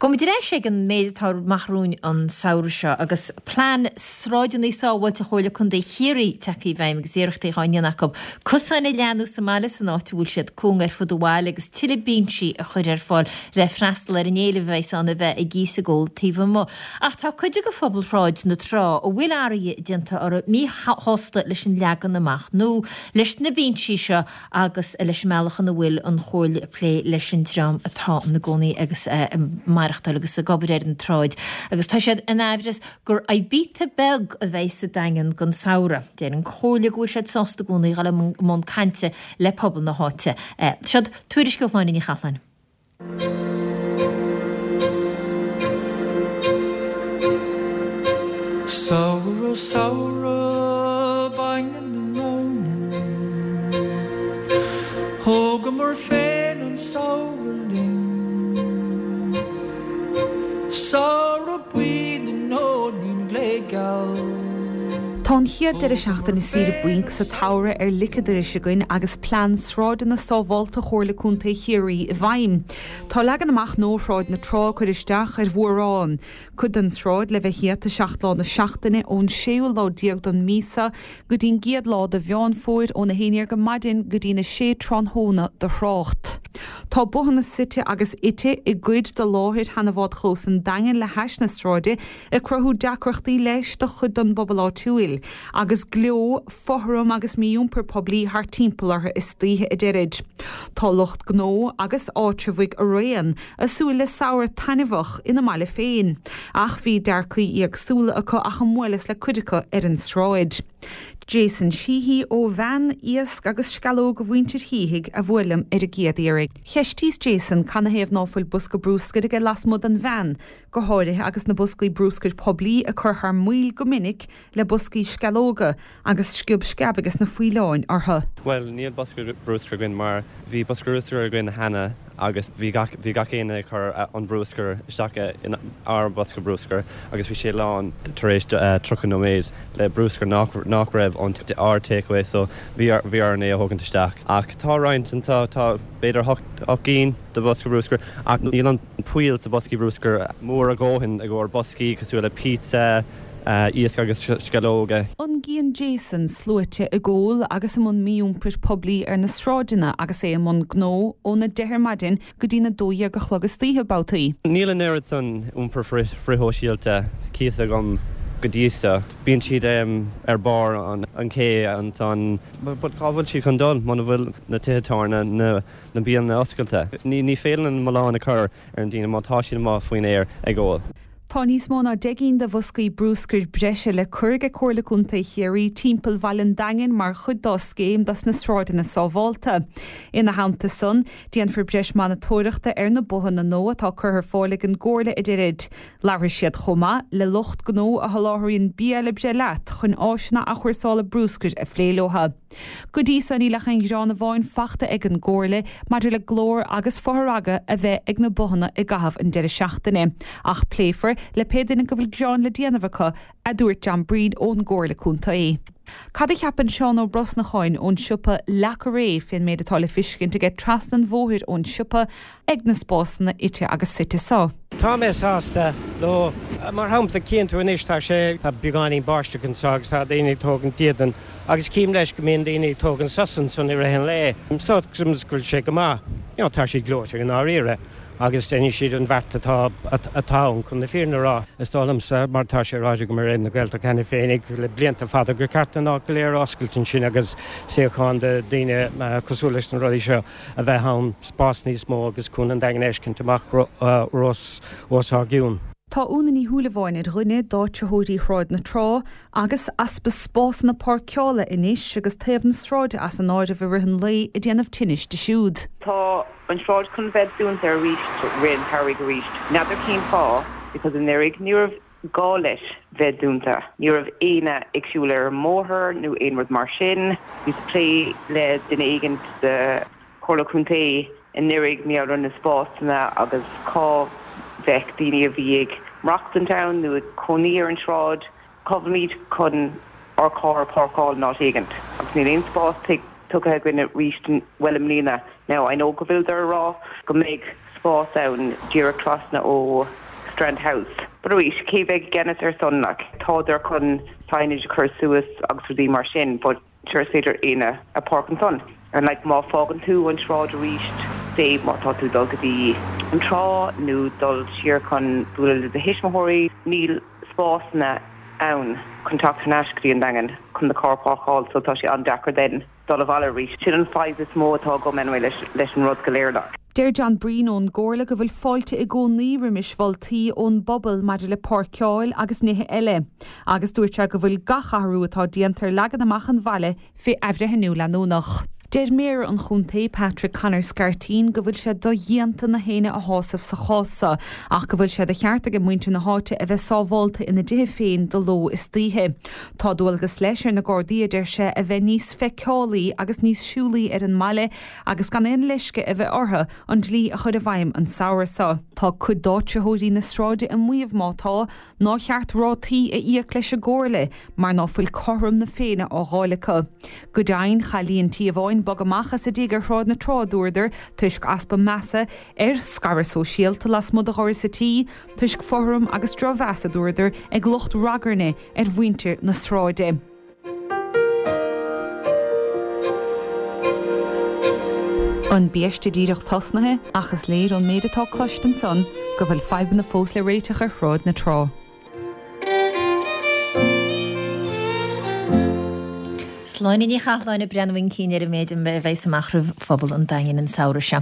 Gabhfaimid ar ais ag an méid atá amach romhainn an samhradh seo agus plean Sráideanna Sábháilte Chomhairle Contae Chiarraí tagtha i bhfeidhm agus iarrachtaí á ndéanamh acu cosáin a leathnú sa mbaile san áit a bhfuil siad cúng ar fud an bhaile agus tuilleadh binsí a chur ar fáil le freastal ar an éileamh a bheas ann a bheith ag ithe is ag ól taobh amuigh. Ach tá cuid de phobal Shráid na Trá a bhfuil athruithe déanta orthu míshásta leis an leagan amach nua leis na binsí seo agus leis an mbealach ina bhfuil an Chomhairle ag plé leis an dream atá ina gcónaí agus ag maireachtáil agus ag obair ar an tsráid agus tá siad in aimhreas gur Ibiza beag a bheidh sa Daingean don samhradh. Deir an Chomhairle go bhfuil siad sásta i gcónaí dul i mbun cainte le pobal na háite. Seo tuairisc ó Shláine Ní Chathalláin. Samhradh, samhradh, bainne na móna. Thógamar féin an samhradh linn. Samhradh buí na nóinín gléigeal. Tá an chéad deireadh seachtaine saoire bainc sa tsamhradh ar lic an dorais againn agus plean Sráideanna Sábhálta Chomhairle Contae Chiarraí i bhfeidhm. Tá leagan amach nua Shráid na Trá ag cur isteach ar mhórán. Cuid den tsráid le bheith iata 7 lá na seachtaine ón séú lá déag don mhí seo go dtí'n gcéad lá de Mheán Fómhair óna 11 go maidin go dtí'n 6 tráthnóna do thrácht. Tá bothanna suite agus ite i gcuid de láthair sheana bhádchlós an Daingin le hais na sráide ag cruthú deacrachtaí leis do chuid den bpobal áitiúil, agus gleo, fothram agus mí-iompar poiblí thart timpeall orthu istoíche, a deirid. Tá lucht gnó agus áitreabhaigh araon a súil le samhradh taitneamhach ina mbaile féin, ach bhí dearcaí éagsúla acu ach a mbuaileas le cuid acu ar an sráid. Jason Sheehy ó Bhean Iasc agus Sceallóga Mhuintir Shíthigh a bhuail liom ar an gcéad iarraidh. Cheistíos Jason canathaobh ná fuil bosca brúscair aige lasmuigh den bhean, go háirithe agus na boscaí brúscair poiblí ag cur thar maoil go minic le boscaí sceallóga agus sciob sceab ages na faoileáin orthu. Bhuel, níl bosca brúscair againn mar bhí bosca brúscair againn cheana agus bhí gach, bhí gach éinne ag cur an bhrúscar isteach in ár bosca brúscair agus bhí sé lán tar éis 30 nóiméad le brúscar nach, nach raibh ón ár takeaway so bhí, bhí orainn é a thógaint isteach. Ach tá roinnt anseo, tá b'fhéidir 8 gcinn de bhosca brúscair ach níl an poill sa boscaí brúscair mór a dhóthain i gcomhair boscaí cosúil le pizza, iasc agus sceallóga. An gcíonn Jason sluaite ag ól agus i mbun mí-iompair poiblí ar na sráideanna agus é i mbun gnó óna deich ar maidin go dtína dó dhéag a chlog istoíche babhtaí. Níl an oiread san iompar frithshóisialta cíte agam go dtí seo. Bíonn siad ar barr an ché ansan. But cá bhfuil siad chun dul muna bhfuil na tithe tábhairne, na. na bialanna oscailte. Ní féidir an milleán a chur ar na daoine má tá siad amuigh faoin aer ag ól. Tá níos mó ná 10 gcinn de bhoscaí brúscair breise le cur ag Comhairle Contae Chiarraí timpeall bhaile an Daingin mar chuid dá scéim dos na Sráideanna Sábhálta. Ina theannta san, déanfar breis monatóireachta ar na bothanna nua atá curtha ar fáil ag an gComhairle, a deirid. Labharfaidh siad chomh maith le lucht gnó a sholáthraíonn bia le breith leat chun áiseanna athchúrsála brúscair a phlé leo. Go dtí so níl ach aon ghearán amháin fachta ag an gComhairle maidir le glór agus fothragadh a bheith ag na bothanna i gcaitheamh an deireadh seachtaine. Ach pléifear le pé duine go bhfuil gearán le déanamh acu, a dúirt John Breen ón gComhairle Contae. Cad a cheapann Seán Ó Brosnacháin ón siopa Le Carré fén méid atá le fiscint aige trasna an bhóthair ón siopa ag na spásanna ite agus suite so? Tá mé sásta leo. Mar shampla, cíonn tú anois tá sé, tá beagáinín báisteach anseo agus tá daoine ag tógaint dídean agus cím leis go mbíonn daoine ag tógaint sos ansan i rith an lae. So go bhfuil sé go maith. You know, tá siad gleoite i ndáiríre agus déanfaidh siad an bheart atá, atá ann chun na fírinne a rá. Is dóigh liomsa, mar tá sé ráite agam ar Raidió na Gaeltachta cheana féinig le blianta fada, gur ceart an áit go léir a oscailt ansin agus suíocháin do daoine cosúil leis na rudaí seo a bheith ann, spás níos mó agus Cuan an Daingin a fheiscint amach os ár gcionn. Tá Úna Ní Shúilleabháin ar dhuine d'áitritheoirí Shráid na Trá agus easpa spásanna páirceála anois agus taobh na sráide as an áireamh i rith an lae ag déanamh tinnis di siúd. Tá an sráid chun bheith dúnta arís rith an tsamhraidh arís. N'fheadar cén fáth because anuraidh ní raibh gá leis bheith dúnta. Ní raibh éinne ag siúl ar an mbóthar nó aon rud mar sin. Bhíos ag plé le duine éigint de Chomhairle Contae anuraidh mar gheall ar na spásanna agus cá bheadh daoine a bhí ag maireachtaint ann nó ag cónaí ar an sráid, cá bhfuilimid chun ár carr a pháirceáil in áit éigint agus níl aon spás tugtha againn arís bhuel i mbliana. Now I know go bhfuileadar a rá go mbeidh. spás ann díreach trasna ó Strand House. But arís, cé bheidh i gceannas ar san like? Tádar chun signage a chur suas agus rudaí mar sin but sure is féidir éinne a páirc ansan. And like má fágann tú an sráid arís, say má tá tú dul go dtí an trá nó dul siar chun bualadh le do thuismitheoirí, níl spásanna ann chun teacht thar n-ais go dtí an Daingean chun do charr páirceáil so tá sé an-deacair then dul abhaile arís. Sin an fadhb is mó atá agam anyway leis leis an rud go léir like. Deir John Breen ón gComhairle go bhfuil fáilte i gcónaí roimis mholtaí ón bpobal maidir le páirceáil agus nithe eile agus dúirt sé go bhfuil gach athrú atá déanta ar leagan amach an bhaile fé athbhreithniú leanúnach. Deir Méara an chontae, Patrick Conor Scarteen, go bhfuil sé dodhéanta na héinne a shásamh sa chás seo ach go bhfuil sé de cheart ag muintir na háite a bheith sábhálta ina dtithe féin de ló is d'oíche. Tá dualgas leis ar na Gardaí, a deir sé, a bheith níos feiceálaí agus níos siúlaí ar an mbaile agus gan aon leisce a bheith orthu an dlí a chur i bhfeidhm an samhradh seo. Tá cuid d'áitritheoirí na sráide ag maíomh má tá, Nár cheart rátaí a íoc leis an gComhairle mar ná fuil cothrom na Féinne á dh'fháil acu. Go deimhin, chaith líon tí amháin bogadh amach as a dtigh ar Shráid na Trá, a dúradar, toisc easpa measa ar scaradh sóisialta lasmuigh de dhoras a tí, toisc fothram agus drochmheas, a dúradar, ag lucht ragairne ar mhuintir na sráide. An biaiste díreach tosnaithe ach is léir ón méid atá cloiste ansan go bhfuil fadhbanna fós le réiteach ar Shráid na Trá. Sláine Ní Chathláin ag breathnú chun cinn ar an méid a bheas amach roimh phobal an Daingin an samhradh seo.